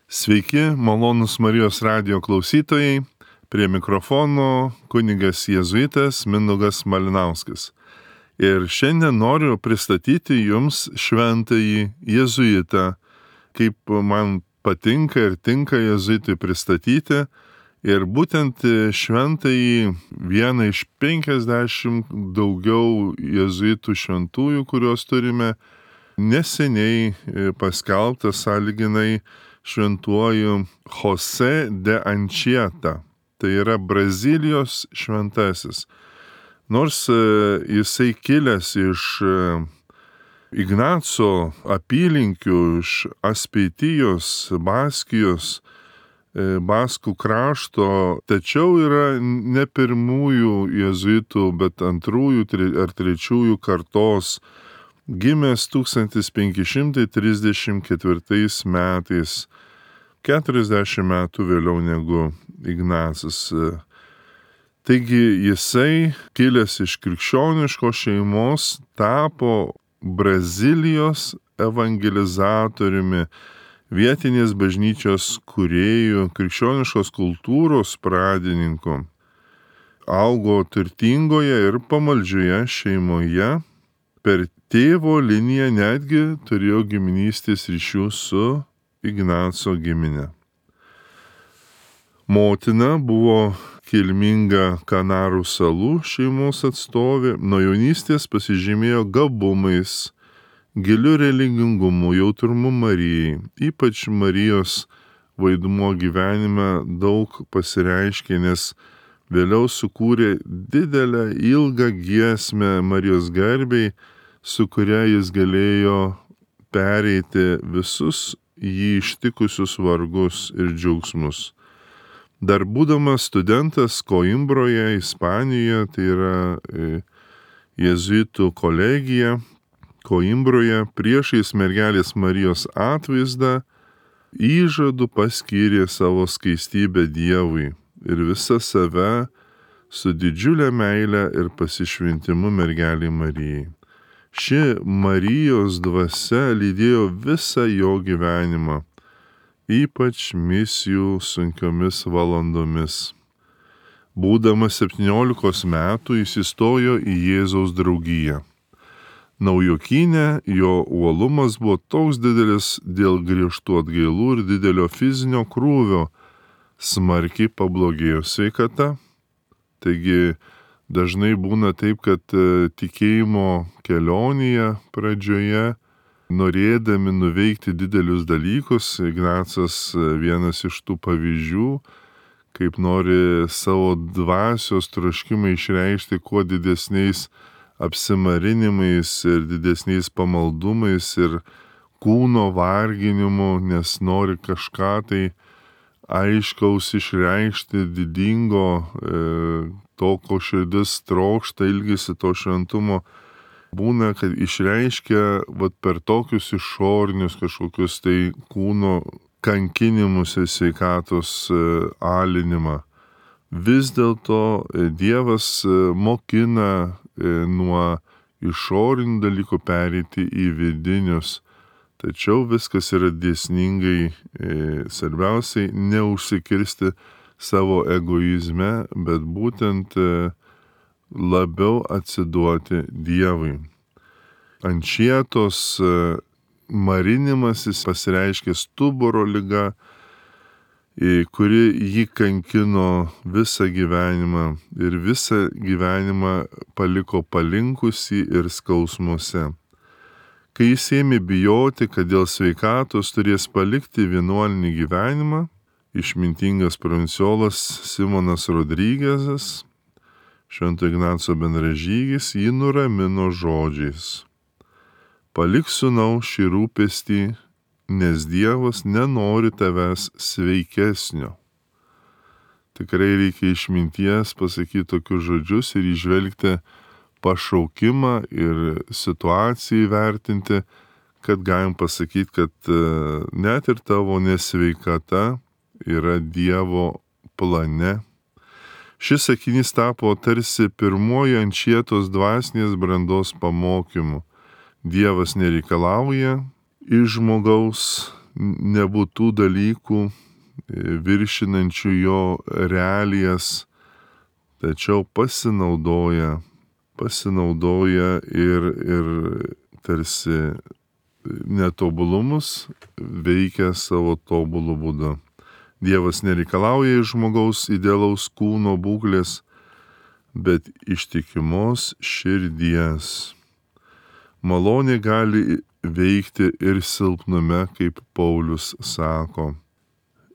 Sveiki, malonūs Marijos radijo klausytojai, prie mikrofono kunigas jėzuitas Mindaugas Malinauskas. Ir šiandien noriu pristatyti jums šventąjį jėzuitą, kaip man patinka ir tinka jėzuitui pristatyti. Ir būtent šventąjį vieną iš 50 daugiau jėzuitų šventųjų, kuriuos turime, neseniai paskelbtą sąlyginai šventuoju Jose de Anchieta. Tai yra Brazilijos šventasis. Nors jisai kilęs iš Ignaco apylinkių, iš Aspeitijos, Baskijos, Baskų krašto, tačiau yra ne pirmųjų jėzuitų, bet antrųjų ar trečiųjų kartos, gimęs 1534 metais, 40 metų vėliau negu Ignacas. Taigi jisai, kilęs iš krikščioniškos šeimos, tapo Brazilijos evangelizatoriumi, vietinės bažnyčios kūrėjų, krikščioniškos kultūros pradininku. Augo turtingoje ir pamaldžioje šeimoje, per tėvo liniją netgi turėjo giminystės ryšių su Ignaco giminė. Motina buvo kilminga Kanarų salų šeimos atstovė, nuo jaunystės pasižymėjo gabumais, giliu religingumu, jautrumu Marijai. Ypač Marijos vaidmuo gyvenime daug pasireiškė, nes vėliau sukūrė didelę ilgą giesmę Marijos garbei, su kuria jis galėjo pereiti visus jį ištikusius vargus ir džiaugsmus. Dar būdamas studentas Koimbroje, Ispanijoje, tai yra jėzuitų kolegija, Koimbroje, priešais mergelės Marijos atvaizdą, įžadu paskyrė savo skaistybę Dievui ir visą save su didžiulė meile ir pasišventimu mergelei Marijai. Ši Marijos dvasia lydėjo visą jo gyvenimą, ypač misijų sunkiomis valandomis. Būdamas 17 metų jis įstojo į Jėzaus draugiją. Naujokyne jo uolumas buvo toks didelis dėl griežtų atgailų ir didelio fizinio krūvio, smarkiai pablogėjo sveikata. Taigi dažnai būna taip, kad tikėjimo kelionėje pradžioje, norėdami nuveikti didelius dalykus, Ignacas vienas iš tų pavyzdžių, kaip nori savo dvasios troškimą išreikšti kuo didesniais apsimarinimais ir didesniais pamaldumais ir kūno varginimu, nes nori kažką tai aiškaus išreikšti, didingo, to, ko širdis trokšta, ilgisi to šventumo. Būna, kad išreiškia per tokius išorinius kažkokius tai kūno kankinimus ir sveikatos alinimą. Vis dėlto Dievas mokina nuo išorinių dalykų pereiti į vidinius. Tačiau viskas yra dėsningai, svarbiausiai neužsikirsti savo egoizme, bet būtent labiau atsiduoti Dievui. Ančietos marinimasis pasireiškė stuburo liga, kuri jį kankino visą gyvenimą ir visą gyvenimą paliko palinkusį ir skausmuose. Kai jis ėmė bijoti, kad dėl sveikatos turės palikti vienuolinį gyvenimą, išmintingas provinciolas Simonas Rodrygezas, Švento Ignaco bendražygis, jį nuramino žodžiais: palik sūnau šį rūpestį, nes Dievas nenori tavęs sveikesnio. Tikrai reikia išminties pasakyti tokius žodžius ir įžvelgti pašaukimą ir situaciją įvertinti, kad galim pasakyti, kad net ir tavo nesveikata yra Dievo plane. Šis sakinys tapo tarsi pirmoji Ančietos dvasinės brandos pamokymu. Dievas nereikalauja iš žmogaus nebūtų dalykų viršinančių jo realijas, tačiau pasinaudoja ir tarsi netobulumus veikia savo tobulų būdu. Dievas nereikalauja iš žmogaus idealaus kūno būklės, bet ištikimos širdies. Malonė gali veikti ir silpnume, kaip Paulius sako.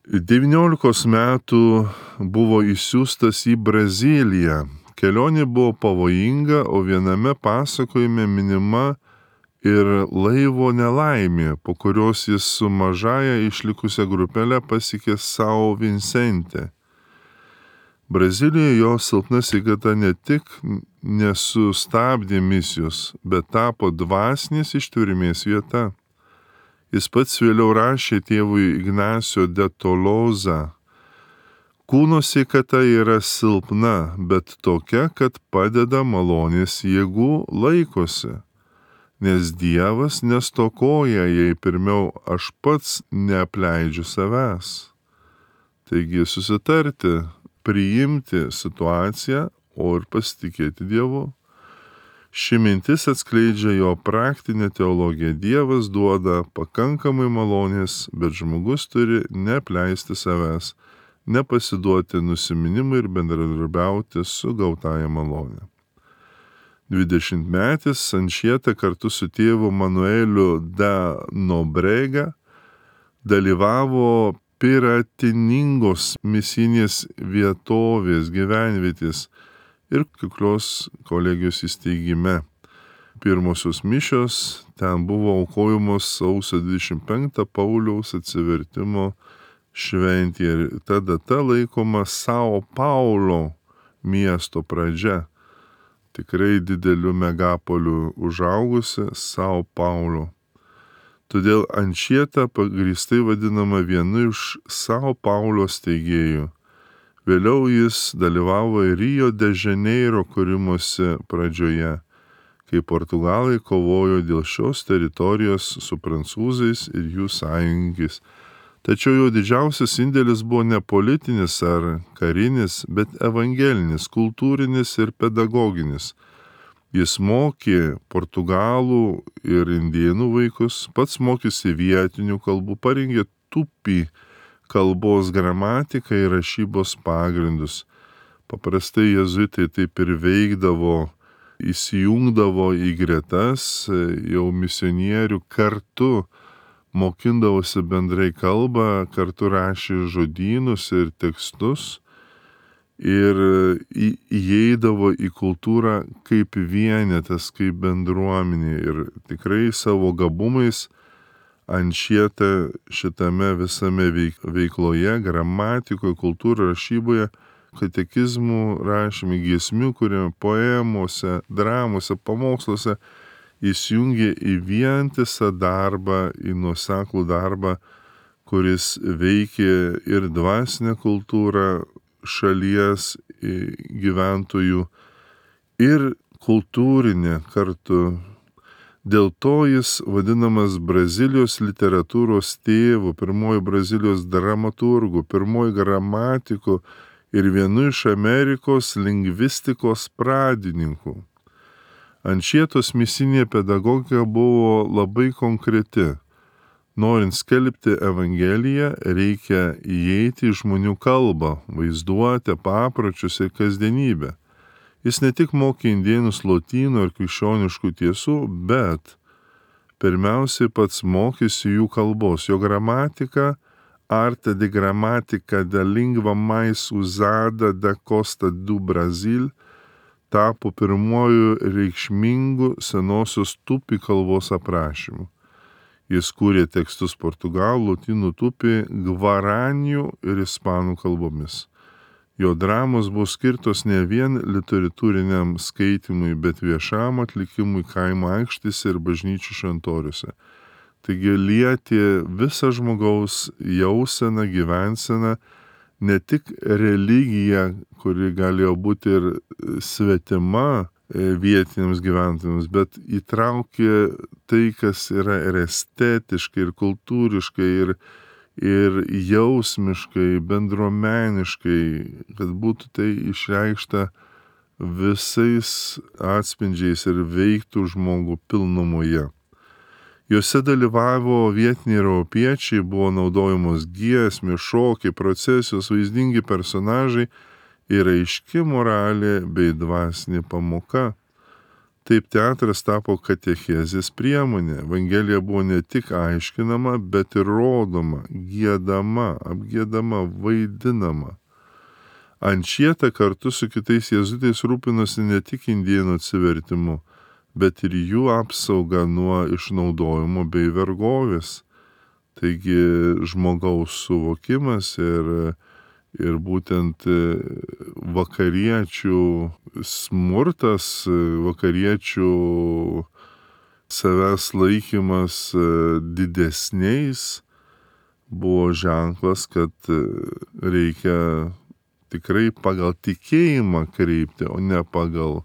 19 metų buvo išsiųstas į Braziliją. Kelionė buvo pavojinga, o viename pasakojime minima ir laivo nelaimė, po kurios jis su mažaja išlikusia grupelė pasiekė São Vicente. Brazilijoje jo silpna sveikata ne tik nesustabdė misijos, bet tapo dvasinės ištvermės vieta. Jis pats vėliau rašė tėvui Ignacio de Tolosa: kūno sveikata yra silpna, bet tokia, kad padeda malonės jėgų laikosi, nes Dievas nestokoja, jei pirmiau aš pats neapleidžiu savęs. Taigi susitarti, priimti situaciją, o ir pasitikėti Dievu. Ši mintis atskleidžia jo praktinę teologiją. Dievas duoda pakankamai malonės, bet žmogus turi neapleisti savęs, nepasiduoti nusiminimui ir bendradarbiauti su gautąja malonė. 20-metis Anchieta kartu su tėvu Manueliu da Nobrega dalyvavo Piratiningos misinės vietovės, gyvenvietės ir kuklios kolegijos įsteigime. Pirmosios mišios ten buvo aukojamos sausio 25 Pauliaus atsivertimo šventė ir ta data laikoma São Paulo miesto pradžia. Tikrai dideliu megapoliu užaugusi São Paulo. Todėl Anchieta pagrįstai vadinama vienu iš São Paulo steigėjų. Vėliau jis dalyvavo Rio de Janeiro kūrimosi pradžioje, kai Portugalai kovojo dėl šios teritorijos su prancūzais ir jų sąjungais. Tačiau jo didžiausias indėlis buvo ne politinis ar karinis, bet evangelinis, kultūrinis ir pedagoginis. Jis mokė portugalų ir indėnų vaikus, pats mokėsi vietinių kalbų, parengė tupį kalbos gramatiką ir rašybos pagrindus. Paprastai jezuitai taip ir veikdavo, įsijungdavo į gretas jau misionierių, kartu mokindavosi bendrai kalbą, kartu rašė žodynus ir tekstus ir įeidavo į kultūrą kaip vienetas, kaip bendruomenė ir tikrai savo gabumais Anchieta šitame visame veikloje, gramatikoje, kultūroje, rašyboje, katekizmų rašymai, giesmių, kurie poemose, dramose, pamoksluose įsijungė į vientisą darbą, į nuoseklų darbą, kuris veikė ir dvasinę kultūrą šalies gyventojų, ir kultūrinę kartu. Dėl to jis vadinamas Brazilijos literatūros tėvu, pirmoji Brazilijos dramaturgu, pirmoji gramatiku ir vienu iš Amerikos lingvistikos pradininkų. Anchietos misinė pedagogika buvo labai konkreti. Norint skelbti Evangeliją, reikia įeiti į žmonių kalbą, vaizduotę, papročius ir kasdienybę. Jis ne tik mokė indėnus lotynų ir krikščioniškų tiesų, bet pirmiausiai pats mokėsi jų kalbos. Jo gramatika, Arte de Gramatica da Língua Mais Usada da Costa do Brasil, tapo pirmuoju reikšmingu senosios tupi kalbos aprašymu. Jis kūrė tekstus portugalų, lotynų tupi, gvaranių ir ispanų kalbomis. Jo dramos buvo skirtos ne vien literatūriniam skaitimui, bet viešam atlikimui kaimo aikštėse ir bažnyčių šventoriuose. Taigi lietė visą žmogaus jauseną, gyvenseną, ne tik religiją, kuri galėjo būti ir svetima vietiniams gyventojams, bet įtraukė tai, kas yra ir estetiškai, ir kultūriškai, ir jausmiškai, bendruomeniškai, kad būtų tai išreikšta visais atspindžiais ir veiktų žmogų pilnumoje. Juose dalyvavo vietiniai europiečiai, buvo naudojamos giesmės, šokiai, procesijos, vaizdingi personažai ir aiški moralė bei dvasinė pamoka. Taip teatras tapo katechezės priemonė. Evangelija buvo ne tik aiškinama, bet ir rodoma, giedama, apgiedama, vaidinama. Ančieta kartu su kitais jėzuitais rūpinosi ne tik indėnų atsivertimu, bet ir jų apsauga nuo išnaudojimo bei vergovės. Taigi žmogaus suvokimas ir būtent vakariečių smurtas, vakariečių savęs laikymas didesniais buvo ženklas, kad reikia tikrai pagal tikėjimą kreipti, o ne pagal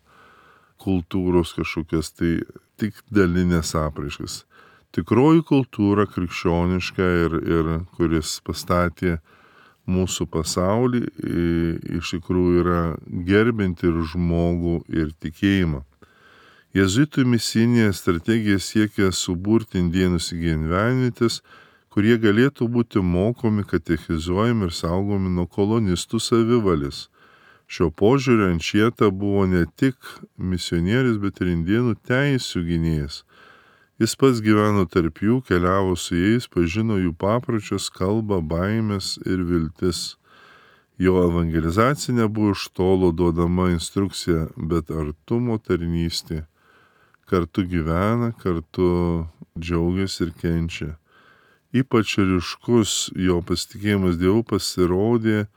kultūros kažkokias tai tik dalinės apraiškas. Tikroji kultūra krikščioniška ir kuris pastatė mūsų pasaulį, iš tikrųjų yra gerbinti ir žmogų ir tikėjimą. Jėzuitų misijinė strategija siekia suburti indėnus į gyvenvietės, kurie galėtų būti mokomi, katechizuojami ir saugomi nuo kolonistų savivalės. Šio požiūrio Ančieta buvo ne tik misionierius, bet ir indėnų teisių gynėjas. Jis pats gyveno tarp jų, keliavo su jais, pažino jų papročius, kalbą, baimės ir viltis. Jo evangelizacija nebuvo iš tolo duodama instrukcija, bet artumo tarnystė. Kartu gyvena, kartu džiaugiasi ir kenčia. Ypač ryškus jo pasitikėjimas Dievu pasirodė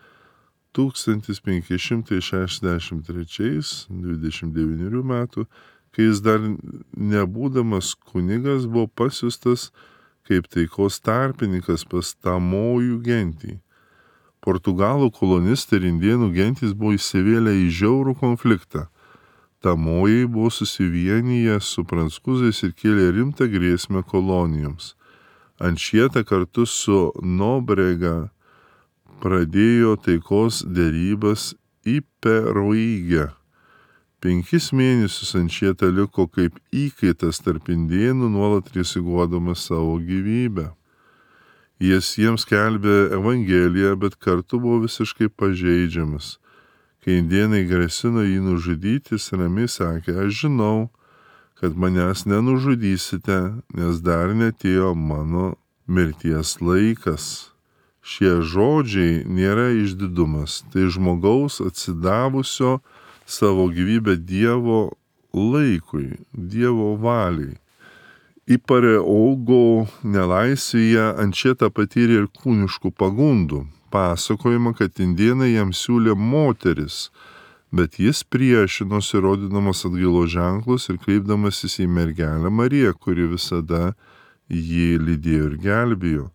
1563, 29 metų, kai jis dar nebūdamas kunigas buvo pasiustas kaip taikos tarpininkas pas tamojų gentį. Portugalų kolonistai ir indėnų gentys buvo įsivėlę į žiaurų konfliktą. Tamojai buvo susivienyję su prancūzais ir kėlė rimtą grėsmę kolonijoms. Ančieta kartu su Nobrega pradėjo taikos derybas į Peruigę. 5 mėnesius Ančieta liko kaip įkaitas tarp indėnų, nuolat rizikuodamas savo gyvybę. Jis jiems skelbė Evangeliją, bet kartu buvo visiškai pažeidžiamas. Kai indėnai grasino jį nužudyti, jis ramiai sakė: aš žinau, kad manęs nenužudysite, nes dar netėjo mano mirties laikas. Šie žodžiai nėra išdidumas, tai žmogaus atsidavusio savo gyvybę Dievo laikui, Dievo valiai. Į Pareogo nelaisvėje Ančieta patyrė ir kūniškų pagundų. Pasakojama, kad indėnai jam siūlė moteris, bet jis priešinosi, rodydamas atgailos ženklus ir kreipdamasis į mergelę Mariją, kuri visada jį lydėjo ir gelbėjo.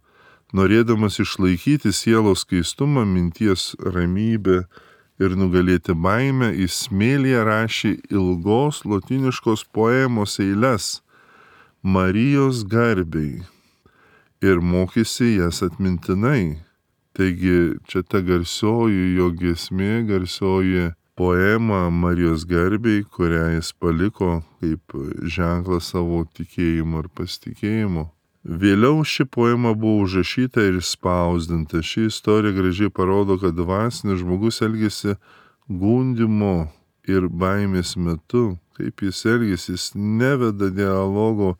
Norėdamas išlaikyti sielos skaistumą, minties ramybę ir nugalėti baimę, jis smėlyje rašė ilgos lotyniškos poemos eiles Marijos garbei ir mokėsi jas atmintinai. Taigi čia ta garsioji jo giesmė, garsioji poema Marijos garbei, kurią jis paliko kaip ženklą savo tikėjimo ir pasitikėjimo. Vėliau ši poema buvo užrašyta ir spausdinta. Ši istorija gražiai parodo, kad dvasinis žmogus elgėsi gundimo ir baimės metu. Kaip jis elgėsi, jis neveda dialogo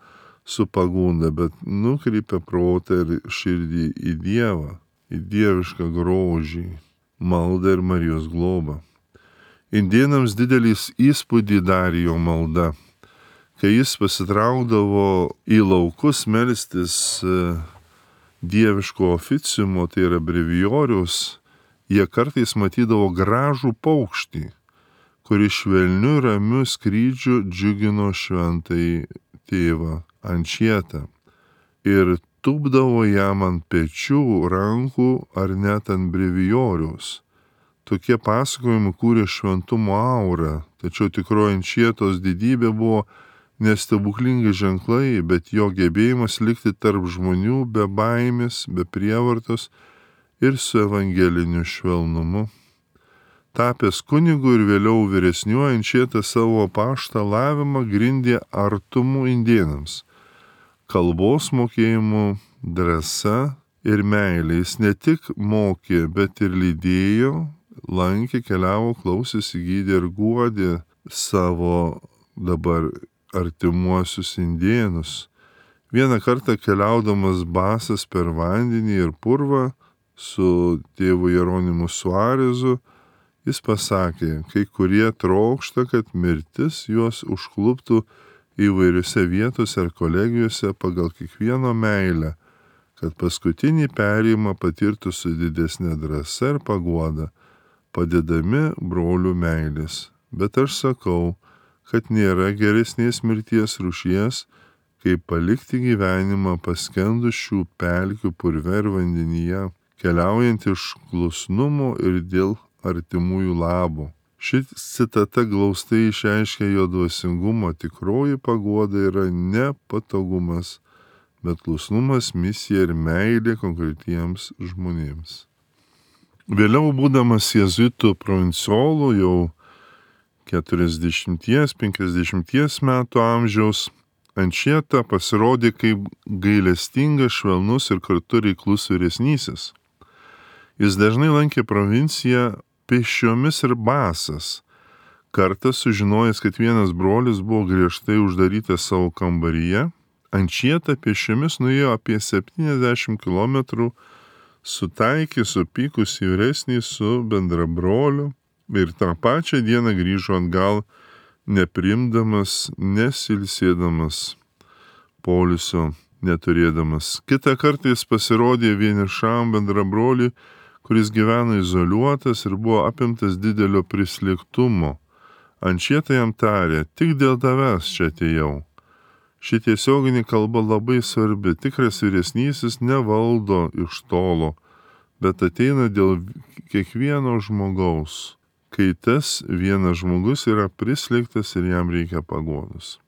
su pagunda, bet nukreipia protą ir širdį į Dievą, į dievišką grožį, maldą ir Marijos globą. Indėnams didelis įspūdį darė jo malda. Kai jis pasitraukdavo į laukus melstis dieviško oficiumo, tai yra brevijorius, jie kartais matydavo gražų paukštį, kuris švelniu ramiu skrydžiu džiugino šventai tėvą Ančietą ir tupdavo jam ant pečių, rankų ar net ant brevijoriaus. Tokie pasakojimai kūrė šventumo aurą, tačiau tikroji Ančietos didybė buvo ne stebuklingi ženklai, bet jo gebėjimas likti tarp žmonių be baimės, be prievartos ir su evangeliniu švelnumu. Tapęs kunigu ir vėliau vyresniuoju, Ančietas savo apaštalavimą grindė artumu indėnams, kalbos mokėjimu, drąsa ir meilė. Jis ne tik mokė, bet ir lydėjo, lankė, keliavo, klausėsi, gydė ir guodė savo dabar artimuosius indėnus. Vieną kartą keliaudamas basas per vandenį ir purvą su tėvu Jeronimu Suarezu, jis pasakė, kai kurie trokšta, kad mirtis juos užkluptų įvairiose vietose ar kolegijose pagal kiekvieno meilę, kad paskutinį perėjimą patirtų su didesnė drąsa ir paguoda, padedami brolių meilės. Bet aš sakau, kad nėra geresnės mirties rūšies, kaip palikti gyvenimą paskendus šių pelkių purve ir vandenyje, keliaujant iš klusnumo ir dėl artimųjų labo. Ši citata glaustai išreiškia jo dvasingumo. Tikroji paguoda yra ne patogumas, bet klusnumas, misija ir meilė konkretiems žmonėms. Vėliau būdamas jėzuitų provincijolu jau 40-50 metų amžiaus, Ančieta pasirodė kaip gailestingas, švelnus ir kartu reiklus vyresnysis. Jis dažnai lankė provinciją pėsčiomis ir basas. Kartą sužinojęs, kad vienas brolis buvo griežtai uždarytas savo kambaryje, Ančieta pėsčiomis nuėjo apie 70 km, sutaikė supykusį vyresnį su bendrabroliu ir tą pačią dieną grįžo atgal, neprimdamas, nesilsėdamas, poilsio neturėdamas. Kitą kartą jis pasirodė vienišam bendrabroliui, kuris gyveno izoliuotas ir buvo apimtas didelio prislėgtumo. Ančieta jam tarė, tik dėl tavęs čia atėjau. Ši tiesioginė kalba labai svarbi. Tikras vyresnysis nevaldo iš tolo, bet ateina dėl kiekvieno žmogaus, kai tas vienas žmogus yra prislėgtas ir jam reikia paguodos.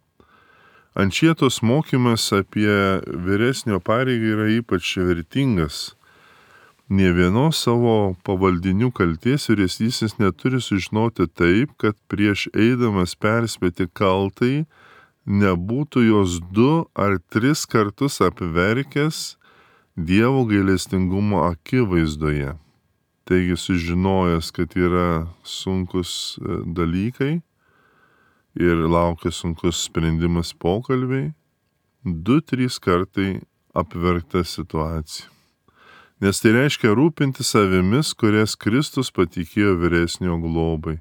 Ančietos mokymas apie vyresnio pareigą yra ypač vertingas. Nė vienos savo pavaldinių kaltės vyresnysis neturi sužinoti taip, kad prieš eidamas perspėti kaltai nebūtų jos 2 ar 3 kartus apverkęs Dievo gailestingumo akivaizdoje. Taigi sužinojęs, kad yra sunkus dalykai ir laukia sunkus sprendimas pokalbiai, 2-3 kartai apverkta situacija. Nes tai reiškia rūpinti savimis, kurias Kristus patikėjo vyresnio globai.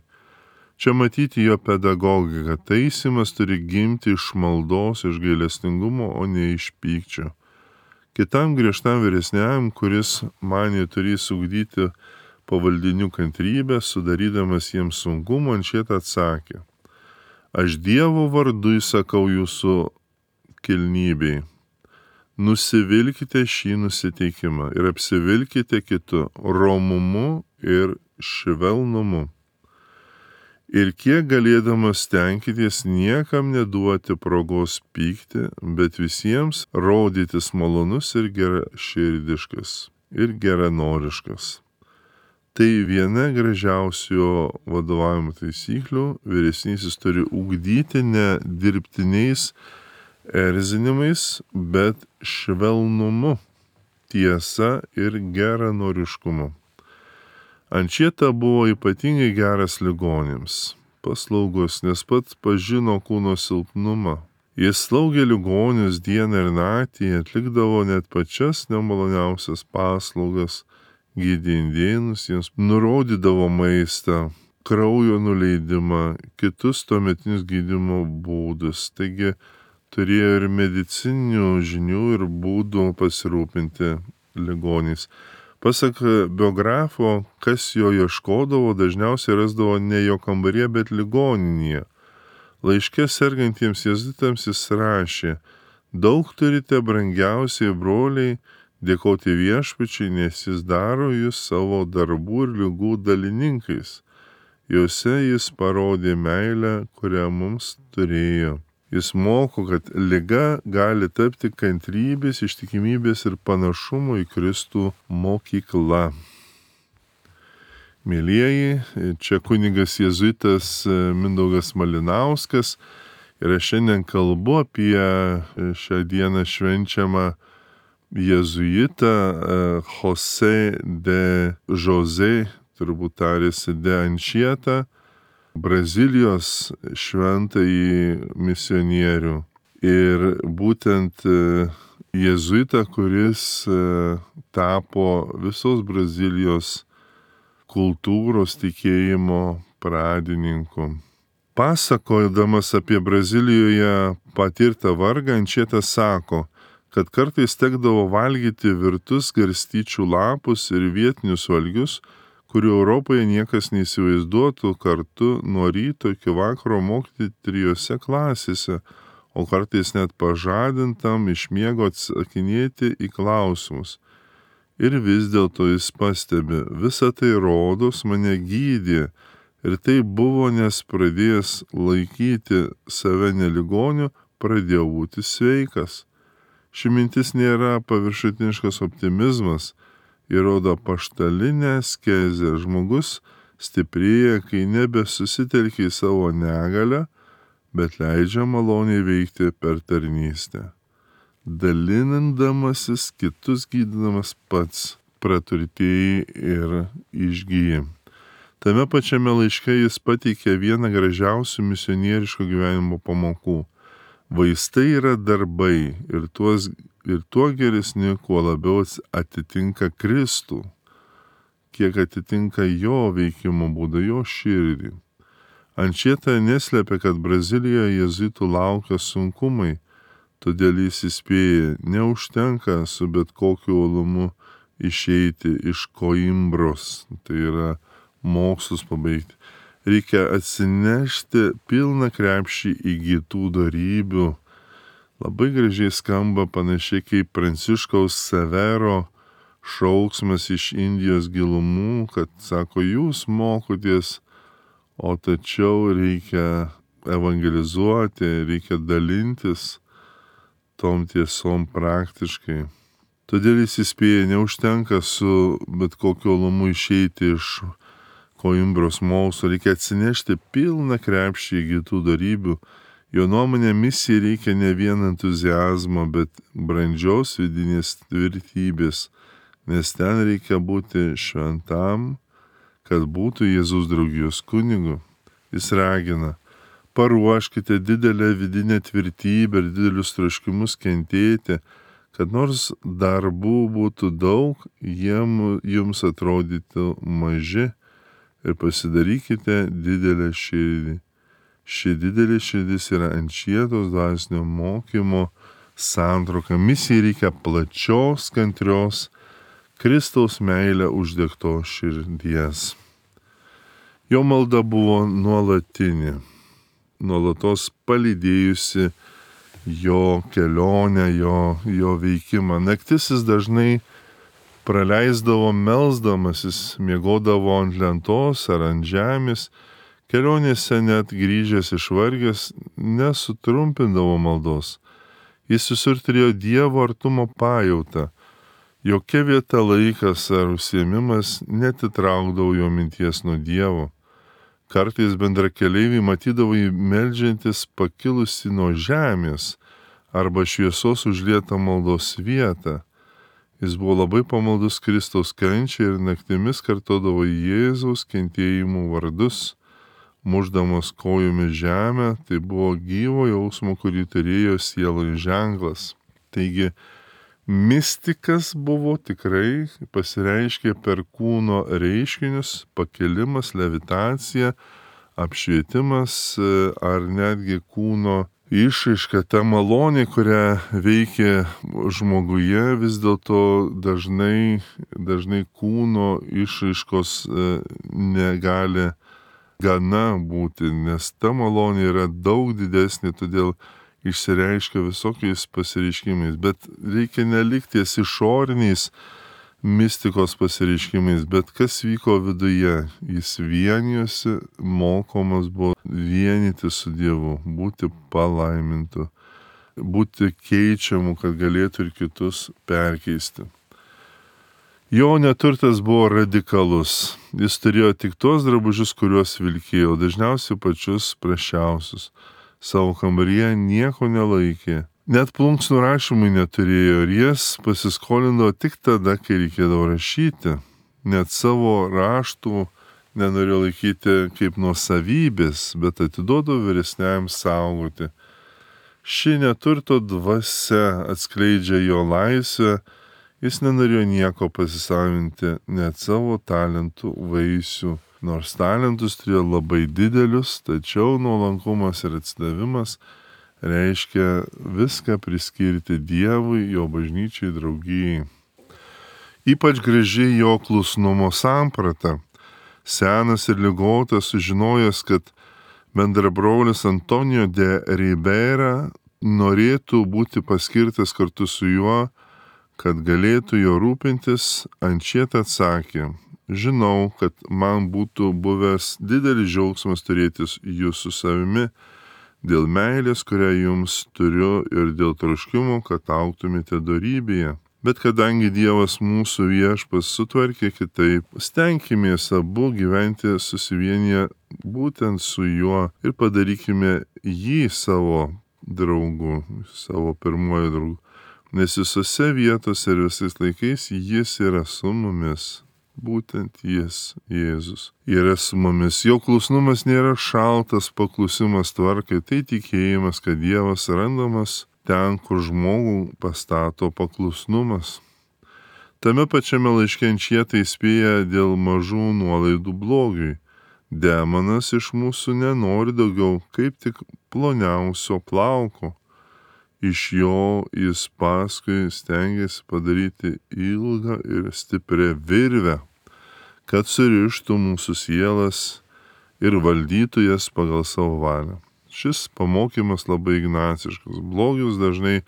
Čia matyti jo pedagogika. Taisymas turi gimti iš maldos, iš gailestingumo, o ne iš pykčio. Kitam griežtam vyresniam, kuris manė turės ugdyti pavaldinių kantrybę, sudarydamas jiems sunkumą, Ančieta atsakė, aš Dievo vardu įsakau jūsų kilnybei. Nusivilkite šį nusiteikimą ir apsivilkite kitu romumu ir švelnumu. Ir kiek galėdamas stenkitės niekam neduoti progos pykti, bet visiems rodytis malonus ir geraširdiškas ir geranoriškas. Tai viena gražiausių vadovavimo taisyklių. Vyresnysis turi ugdyti ne dirbtiniais erzinimais, bet švelnumu, tiesa ir geranoriškumu. Ančieta buvo ypatingai geras ligoniams, paslaugus, nes pats pažino kūno silpnumą. Jis slaugė ligonius dieną ir naktį, atlikdavo net pačias nemaloniausias paslaugas, gydė indėnus, jiems nurodydavo maistą, kraujo nuleidimą, kitus tuometinius gydymo būdus. Taigi turėjo ir medicininių žinių ir būdų pasirūpinti ligoniais. Pasak biografo, kas jo ieškodavo, dažniausiai rasdavo ne jo kambaryje, bet ligoninėje. Laiške sergantiems jėzuitams jis rašė, daug turite brangiausiai broliai, Dėkoti viešpačiui, nes jis daro jūs savo darbų ir ligų dalininkais. Juose jis parodė meilę, kurią mums turėjo. Jis moko, kad liga gali tapti kantrybės, ištikimybės ir panašumo į Kristų mokykla. Mėlyjeji, čia kunigas jėzuitas Mindaugas Malinauskas ir aš šiandien kalbu apie šią dieną švenčiamą jėzuitą Jose de José, turbūt tarėsi de Anchieta, Brazilijos šventąjį misionierių. Ir būtent jėzuitą, kuris tapo visos Brazilijos kultūros tikėjimo pradininku. Pasakodamas apie Brazilijoje patirtą vargą, Anchieta sako, kad kartais tekdavo valgyti virtus garstyčių lapus ir vietinius valgius, kurių Europoje niekas neįsivaizduotų, kartu nuo ryto iki vakaro mokyti 3 klasėse, o kartais net pažadintam iš miego atsakinėti į klausimus. Ir vis dėlto jis pastebi, visa tai rodos mane gydė, ir tai buvo, nes pradėjęs laikyti save neligoniu, pradėjau būti sveikas. Ši mintis nėra paviršutiniškas optimizmas, įrodo apaštalinę askezę. Žmogus stiprėja, kai nebesusitelkia į savo negalę, bet leidžia maloniai veikti per tarnystę. Dalinindamasis, kitus gydydamas pats praturtėjai ir išgyji. Tame pačiame laiške jis pateikė vieną gražiausių misionieriško gyvenimo pamokų. Vaistai yra darbai ir tuo geresni, kuo labiau atitinka Kristų, kiek atitinka jo veikimo būdą, jo širdį. Anchieta neslėpia, kad Brazilijoje jėzuitų laukia sunkumai, todėl jis įspėja, neužtenka su bet kokiu uolumu išeiti iš Koimbros, tai yra mokslus pabaigti. Reikia atsinešti pilną krepšį įgytų dorybių. Labai gražiai skamba panašiai kaip Pranciškaus Severo šauksmas iš Indijos gilumų, kad sako, jūs mokotės, o tačiau reikia evangelizuoti, reikia dalintis tom tiesom praktiškai. Todėl jis įspėja, neužtenka su bet kokiu uolumu išeiti iš Koimbros mokslo, reikia atsinešti pilną krepšį įgytų dorybių. Jo nuomonė, misijai reikia ne vien entuziazmo, bet brandžios vidinės tvirtybės, nes ten reikia būti šventam, kad būtų Jėzaus draugijos kunigu. Jis ragina, paruoškite didelę vidinę tvirtybę ir didelius troškimus kentėti, kad nors darbų būtų daug, jums atrodytų maži, ir pasidarykite didelę širdį. Ši didelė širdis yra Anchietos dvasinio mokymo santrauka. Misijai reikia plačios, kantrios, Kristaus meilę uždegtos širdies. Jo malda buvo nuolatinė, nuolatos palydėjusi jo kelionę, jo veikimą. Naktis jis dažnai praleisdavo melsdamasis, miegodavo ant lentos ar ant žemės, kelionėse net grįžęs išvargęs nesutrumpindavo maldos. Jis visur turėjo Dievo artumo pajautą. Jokia vieta, laikas ar užsiėmimas netitraukdavo jo minties nuo Dievo. Kartais bendrakeleiviai matydavo jį meldžiantis pakilusi nuo žemės arba šviesos užlietą maldos vietą. Jis buvo labai pamaldus Kristaus kančiai ir naktimis kartodavo Jėzaus kentėjimų vardus, mušdamas kojomis žemę, tai buvo gyvo jausmo, kurį turėjo sieloje ženklas. Taigi, mistikas buvo tikrai pasireiškė per kūno reiškinius, pakelimas, levitacija, apšvietimas ar netgi kūno išraiška, ta malonė, kurią veikia žmoguje, vis dėlto dažnai kūno išraiškos negali gana būti, nes ta malonė yra daug didesnė, todėl išsireiškia visokiais pasireiškimais, bet reikia nelikti ties išoriniais mistikos pasireiškimais, bet kas vyko viduje. Jis vienijosi, mokomas buvo vienyti su Dievu, būti palaimintu, būti keičiamu, kad galėtų ir kitus perkeisti. Jo neturtas buvo radikalus. Jis turėjo tik tuos drabužius, kuriuos vilkėjo, dažniausiai pačius prašiausius. Savo kambaryje nieko nelaikė. Net plunksnų rašymui neturėjo ir jas pasiskolindavo tik tada, kai reikėdavo rašyti. Net savo raštų nenorėjo laikyti kaip nuosavybės, bet atiduodavo vyresniajam saugoti. Ši neturto dvasia atskleidžia jo laisvę. Jis nenorėjo nieko pasisavinti, net savo talentų vaisių. Nors talentus turėjo labai didelius, tačiau nuolankumas ir atsidavimas reiškia viską priskirti Dievui, jo bažnyčiai, draugijai. Ypač graži jo klusnumo samprata. Senas ir ligotas sužinojęs, kad bendrabrolis Antonijo de Ribeira norėtų būti paskirtas kartu su juo, kad galėtų jo rūpintis, Ančiet atsakė: žinau, kad man būtų buvęs didelis džiaugsmas turėti jūs su savimi dėl meilės, kurią jums turiu ir dėl troškimo, kad augtumėte dorybėje. Bet kadangi Dievas mūsų viešpas sutvarkė kitaip, stenkimės abu gyventi susivienyje būtent su juo ir padarykime jį savo draugu, savo pirmuoju draugu. Nes visose vietose ir visais laikais jis yra su mumis. Būtent jis, Jėzus, yra su mumis. Jo klusnumas nėra šaltas paklusimas tvarkai, tai tikėjimas, kad Dievas randamas ten, kur žmogų pastato paklusnumas. Tame pačiame laiške Ančieta įspėja dėl mažų nuolaidų blogiui. Demonas iš mūsų nenori daugiau kaip tik ploniausio plauko. Iš jo jis paskui stengiasi padaryti ilgą ir stiprią virvę, kad surištų mūsų sielas ir valdytų jas pagal savo valią. Šis pamokymas labai ignaciškas. Blogis dažnai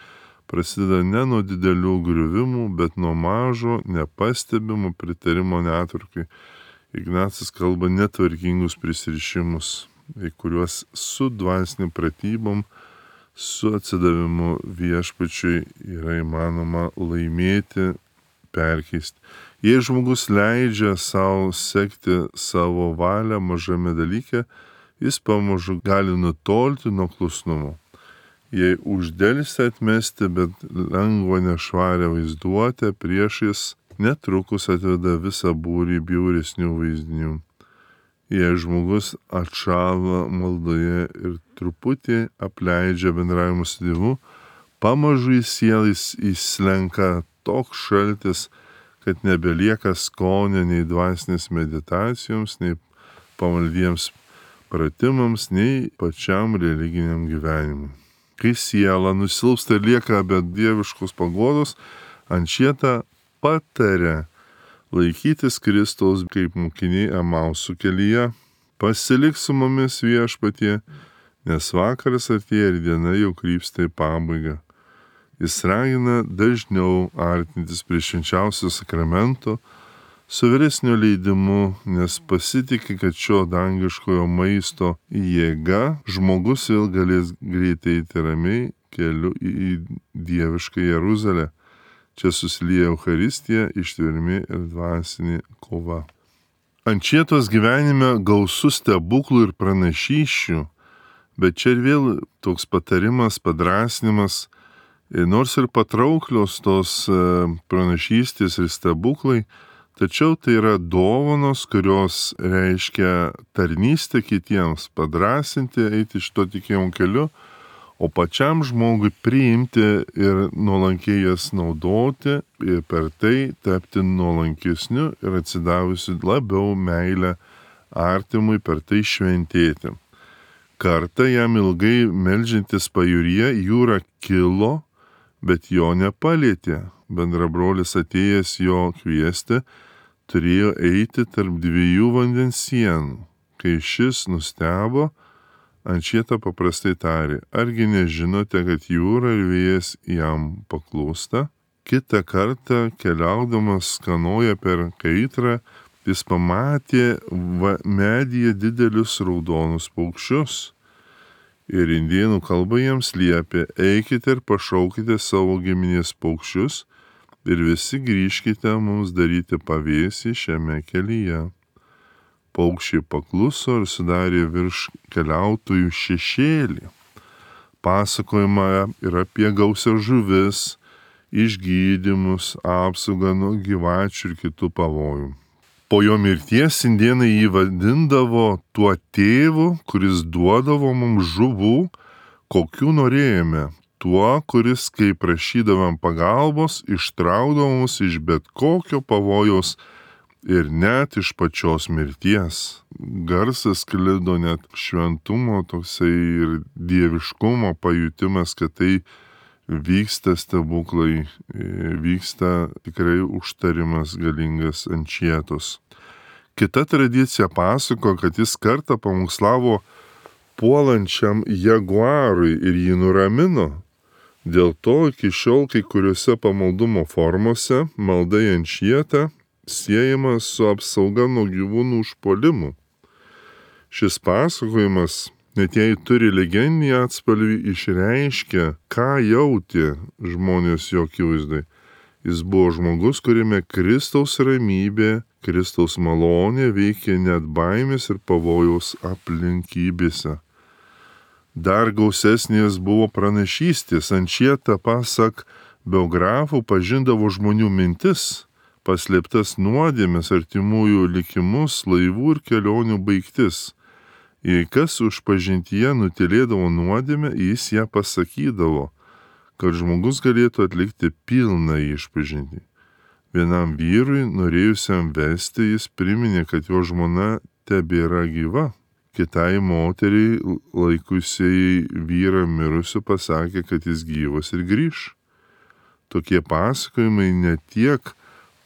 prasideda ne nuo didelių griuvimų, bet nuo mažo, nepastebimo pritarimo netvarkai. Ignacas kalba netvarkingus prisirišimus, į kuriuos su dvasinėm pratybom, su atsidavimu viešpačiui yra įmanoma laimėti, perkeisti. Jei žmogus leidžia savo sekti savo valią mažame dalyke, jis pamažu gali nutolti nuo klusnumo. Jei uždelsia atmesti, bet lengva nešvarę vaizduotę priešais, netrukus atveda visą būrį bjauresnių vaizdinių. Jei žmogus atšąla maldoje ir truputį apleidžia bendravimą su Dievu, pamažu į sielą įslenka toks šaltis, kad nebelieka skonio nei dvasinės meditacijoms, nei pamaldiems pratimams, nei pačiam religiniam gyvenimui. Kai siela nusilpsta ir lieka be dieviškos paguodos, Ančieta pataria laikytis Kristaus kaip mokiniai Emausų kelyje. Pasilik su mumis viešpatie, nes vakaras artėja ir diena jau krypsta į pabaigą. Jis ragina dažniau artintis prie švenčiausio sakramento su vyresnio leidimu, nes pasitikė, kad šio dangiškojo maisto jėga žmogus vėl galės greitai eiti ramiai keliu į dievišką Jeruzalę. Čia susilieja Eucharistija, ištvermė ir dvasinė kova. Ančietos gyvenime gausu stebuklų ir pranašysčių, bet čia ir vėl toks patarimas, padrasnimas, nors ir patrauklios tos pranašystės ir stebuklai, tačiau tai yra dovanos, kurios reiškia tarnystę kitiems, padrasinti, eiti šito tikėjimo keliu, o pačiam žmogui priimti ir nuolankiai jas naudoti ir per tai tapti nuolankesniu ir atsidavusiu labiau meilę artimui, per tai šventėti. Kartą jam ilgai meldžiantis pajūryje jūra kilo, bet jo nepalietė. Bendrabrolis atėjęs jo kviesti turėjo eiti tarp dviejų vandens sienų. Kai šis nustebo, Ančieta paprastai tarė, argi nežinote, kad jūra ir vėjas jam paklūsta? Kitą kartą, keliaudamas kanoje per Kaitrą, jis pamatė medyje didelius raudonus paukščius. Ir indėnų kalba jiems liepė, eikite ir pašaukite savo giminės paukščius ir visi grįžkite mums daryti pavėsį šiame kelyje. Paukščiai pakluso ir sudarė virš keliautojų šešėlį. Pasakojama ir apie gausias žuvis, išgydymus, apsaugą nuo gyvačių ir kitų pavojų. Po jo mirties indėnai jį vadindavo tuo tėvu, kuris duodavo mums žuvų, kokių norėjome, tuo, kuris, kai prašydavom pagalbos, ištraukdavo mus iš bet kokio pavojaus ir net iš pačios mirties. Garsas sklido net šventumo toksai ir dieviškumo pajutimas, kad tai vyksta stebuklai, vyksta tikrai užtarimas galingas Ančietos. Kita tradicija pasako, kad jis kartą pamokslavo puolančiam jaguarui ir jį nuramino. Dėl to iki šiol kai kuriuose pamaldumo formose malda į Ančietą siejama su apsauga nuo gyvūnų užpuolimų. Šis pasakojimas, net jei turi legendinį atspalvį, išreiškia, ką jautė žmonės jo akivaizdai. Jis buvo žmogus, kuriame Kristaus ramybė, Kristaus malonė veikė net baimės ir pavojaus aplinkybėse. Dar gausesnės buvo pranašystės. Ančieta, pasak biografų, pažindavo žmonių mintis, paslėptas nuodėmes, artimųjų likimus, laivų ir kelionių baigtis. Jei kas už pažintyje nutilėdavo nuodėmę, jis ją pasakydavo, kad žmogus galėtų atlikti pilną išpažintį. Vienam vyrui, norėjusiam vesti, jis priminė, kad jo žmona tebėra gyva. Kitai moteriai, laikusiai vyrą mirusiu, pasakė, kad jis gyvas ir grįš. Tokie pasakojimai ne tiek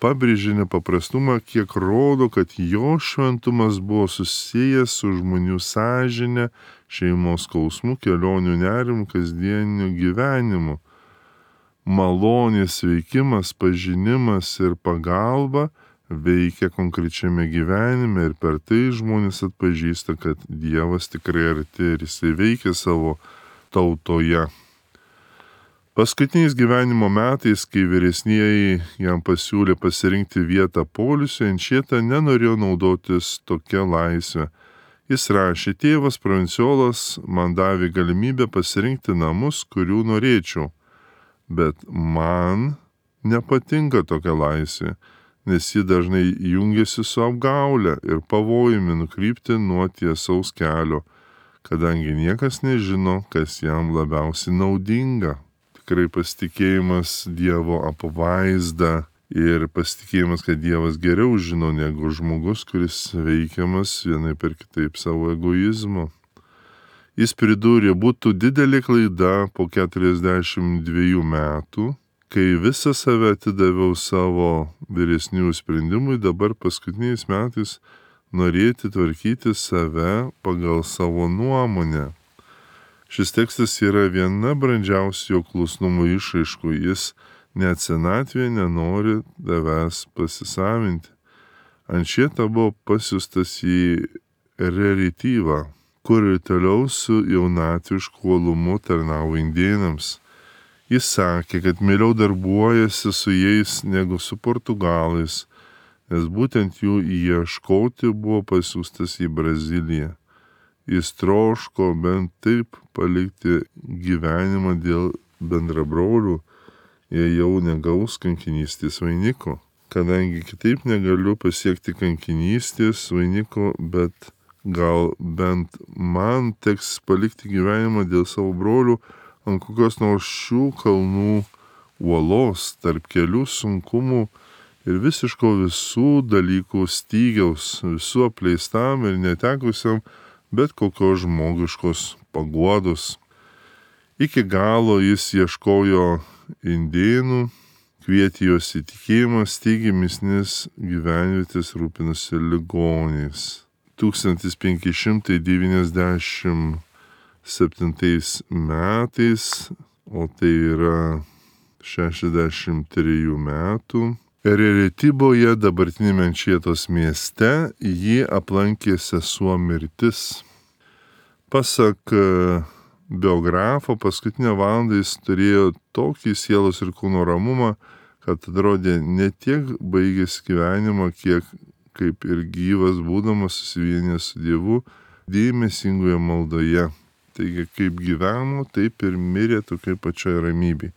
pabrėžė nepaprastumą, kiek rodo, kad jo šventumas buvo susijęs su žmonių sąžine, šeimos skausmu, kelionių nerimu, kasdieniu gyvenimu. Malonės veikimas, pažinimas ir pagalba veikia konkrečiame gyvenime ir per tai žmonės atpažįsta, kad Dievas tikrai arti ir jisai veikia savo tautoje. Paskutiniais gyvenimo metais, kai vyresnieji jam pasiūlė pasirinkti vietą poilsiui, Ančieta nenorėjo naudotis tokia laisvė. Jis rašė, tėvas provinciolas man davė galimybę pasirinkti namus, kurių norėčiau, bet man nepatinka tokia laisvė, nes ji dažnai jungiasi su apgaule ir pavojumi nukrypti nuo tiesaus kelio, kadangi niekas nežino, kas jam labiausiai naudinga. Tikrai pasitikėjimas Dievo apvaizda ir pasitikėjimas, kad Dievas geriau žino negu žmogus, kuris veikiamas vienaip ir kitaip savo egoizmo. Jis pridūrė, būtų didelė klaida po 42 metų, kai visą save atidaviau savo vyresnių sprendimui, dabar paskutiniais metais norėti tvarkyti save pagal savo nuomonę. Šis tekstas yra viena brandžiausių jo klusnumo išraiškų. Jis net senatvėje nenori tavęs pasisavinti. Ančieta buvo pasiųstas į reliatyvą, kur ir toliau su jaunatvišku uolumu tarnavo indėnams. Jis sakė, kad mieliau darbuojasi su jais negu su portugalais, nes būtent jų ieškoti buvo pasiųstas į Braziliją. Jis troško bent taip palikti gyvenimą dėl bendrabrolių, jei jau negaus kankinystės vainiko. Kadangi kitaip negaliu pasiekti kankinystės vainiko, bet gal bent man teks palikti gyvenimą dėl savo brolių ant kokios nors šių kalnų uolos, tarp kelių sunkumų ir visiško visų dalykų stygiaus, visų apleistam ir netekusiam bet kokios žmogiškos paguodos. Iki galo jis ieškojo indėnų, kvietė juos į tikėjimą, steigė mistinės gyvenvietės, rūpinosi ligoniais. 1598 metais, o tai yra 63 metų. Ereretiboje, dabartinėme Ančietos mieste, jį aplankė sesuo mirtis. Pasak biografo, paskutinę valandą jis turėjo tokį sielos ir kūno ramumą, kad atrodė ne tiek baigęs gyvenimą, kiek kaip ir gyvas būdamas susivienęs su Dievu dėmesingoje maldoje. Taigi, kaip gyveno, taip ir mirė tokiai pačioj ramybei.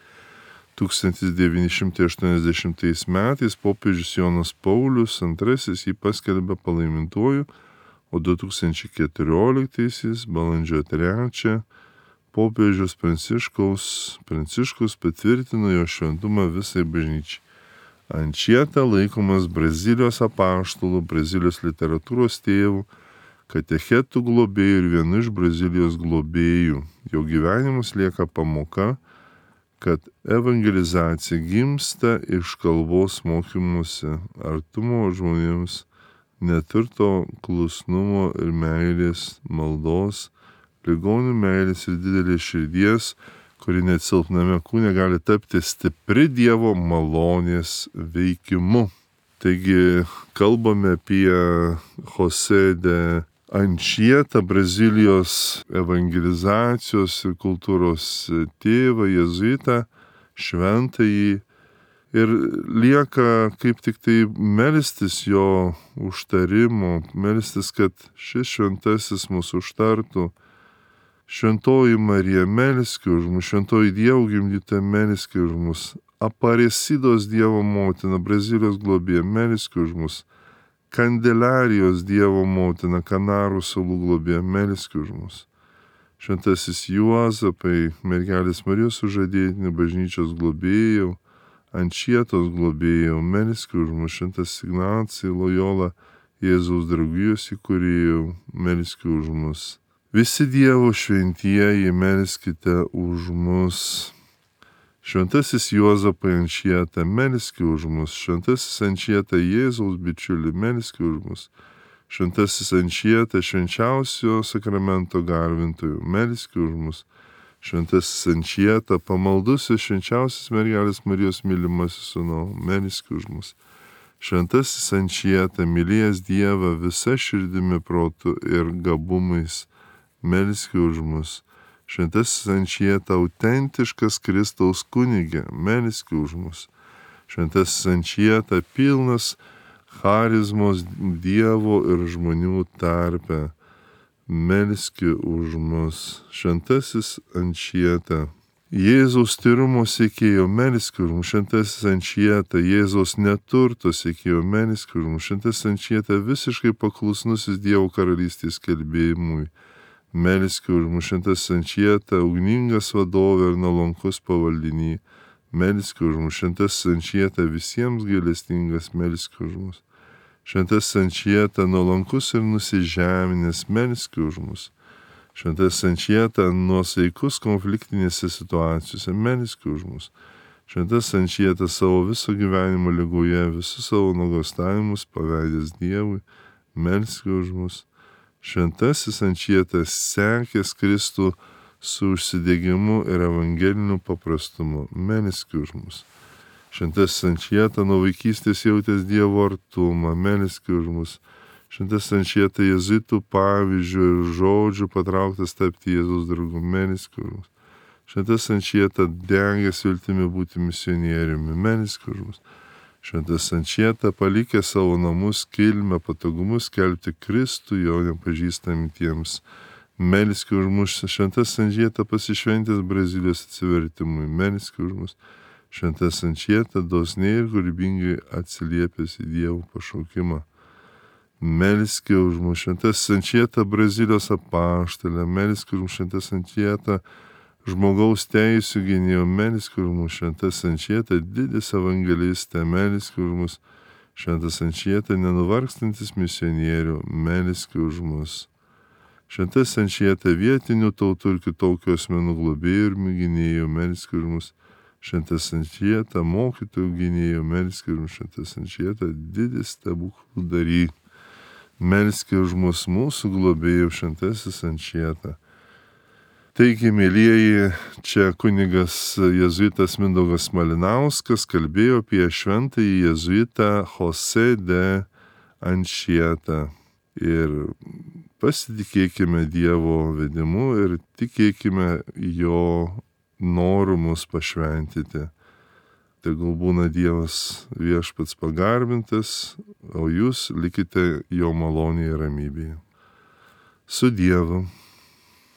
1980 metais popiežius Jonas Paulius II jį paskelbė palaimintuoju, o 2014 balandžio 3 popiežius Pranciškus patvirtino jo šventumą visai bažnyčiai. Ančieta laikomas Brazilijos apaštalų, Brazilijos literatūros tėvų, katechetų globėjų ir vienu iš Brazilijos globėjų. Jo gyvenimas lieka pamoka, kad evangelizacija gimsta iš kalbos mokymuose, artumo žmonėms, neturto klusnumo ir meilės, maldos, ligonių meilės ir didelės širdies, kuri net silpname kūne gali tapti stipri Dievo malonės veikimu. Taigi kalbame apie José de Anchieta, Brazilijos evangelizacijos ir kultūros tėvą, jėzuitą, šventąjį. Ir lieka kaip tik tai melstis jo užtarimo, melstis, kad šis šventasis mūsų užtartų. Šventoji Marija, melski už mus, šventoji Dievo gimdyta, melski už mus. Aparecidos Dievo motina, Brazilijos globėja, melski už mus. Kandelarijos Dievo motina, Kanarų salų globėja, melski už mus. Šventasis Juozapai, mergelės Marijos sužadėtinių bažnyčios globėjau, Ančietos globėjau, melski už mus. Šventas Ignacijai, Lojola, Jėzaus draugijos įkūrėjau, melski už mus. Visi Dievo šventieji, melskite už mus. Šventasis Juozapai Ančieta, melski už mus. Šventasis Ančieta, Jėzaus bičiuli, melski už mus. Šventasis Ančieta, švenčiausio sakramento garbintojų, melski už mus. Šventasis Ančieta, pamaldusis švenčiausias mergelės Marijos mylimasis sūnau, melski už mus. Šventasis Ančieta, mylėjęs Dievą visa širdimi, protu ir gabumais, melski už mus. Šventasis Ančieta, autentiškas Kristaus kunigė, melski už mus. Šventasis Ančieta, pilnas charizmos Dievo ir žmonių tarpe, melski už mus. Šventasis Ančieta, Jėzaus tyrumo siekėjo, melski už mus. Šventasis Ančieta, Jėzaus neturto siekėjo, melski už mus. Šventasis Ančieta, visiškai paklusnusis Dievo karalystės skelbėjimui, melski už mus. Šventasis Ančieta, ugningas vadovė ir nuolankus pavaldinį, melski už mus. Šventasis Ančieta, visiems gailestingas, melski už mus. Šventasis Ančieta, nuolankus ir nusižeminęs, melski už mus. Šventasis Ančieta, nuosaikus konfliktinėse situacijose, melski už mus. Šventasis Ančieta, savo viso gyvenimo ligoje, visus savo nuogąstavimus paveidęs Dievui, melski už mus. Šventasis Ančieta, sekęs Kristų su užsidegimu ir evangeliniu paprastumu, melski už mus. Šventasis Ančieta, nuo vaikystės jautęs Dievo artumą, melski už mus. Šventasis Ančieta, jėzuitų pavyzdžių ir žodžių patrauktas tapti Jėzaus draugu, melski už mus. Šventasis Ančieta, degęs viltimi būti misionieriumi, melski už mus. Šventasis Ančieta, palikė savo namus, kilmę, patogumus skelbti Kristų jo nepažįstamiems, melski už mus. Šventasis Ančieta, pasišventęs Brazilijos atsivertimui, melski už mus. Šventasis Ančieta, dosniai ir kūrybingai atsiliepęs į Dievo pašaukimą, melski už mus. Šventasis Ančieta, Brazilijos apaštalė, melski už mus. Šventasis Ančieta, žmogaus teisių gynėjo, melski už mus. Šventasis Ančieta, didis evangelistė, melski už mus. Šventasis Ančieta, nenuvargstantis misionierių, melski už mus. Šventasis Ančieta, vietinių tautų ir kitokių asmenų globėjų ir gynėjų, melski už mus. Šventasis Ančieta, mokytojų gynėjų, melski už mus. Šventasis Ančieta, didis stebuklų dary, melski už mus, mūsų globėjų. Šventasis Ančieta, Taigi, mėlyjeji, čia kunigas jėzuitas Mindaugas Malinauskas kalbėjo apie šventąjį jėzuitą Jose de Anchieta. Ir pasitikėkime Dievo vedimu ir tikėkime jo noru mus pašventyti. Tegul būna Dievas viešpats pagarbintas, o jūs likite jo malonėje ir ramybėje. Su Dievu.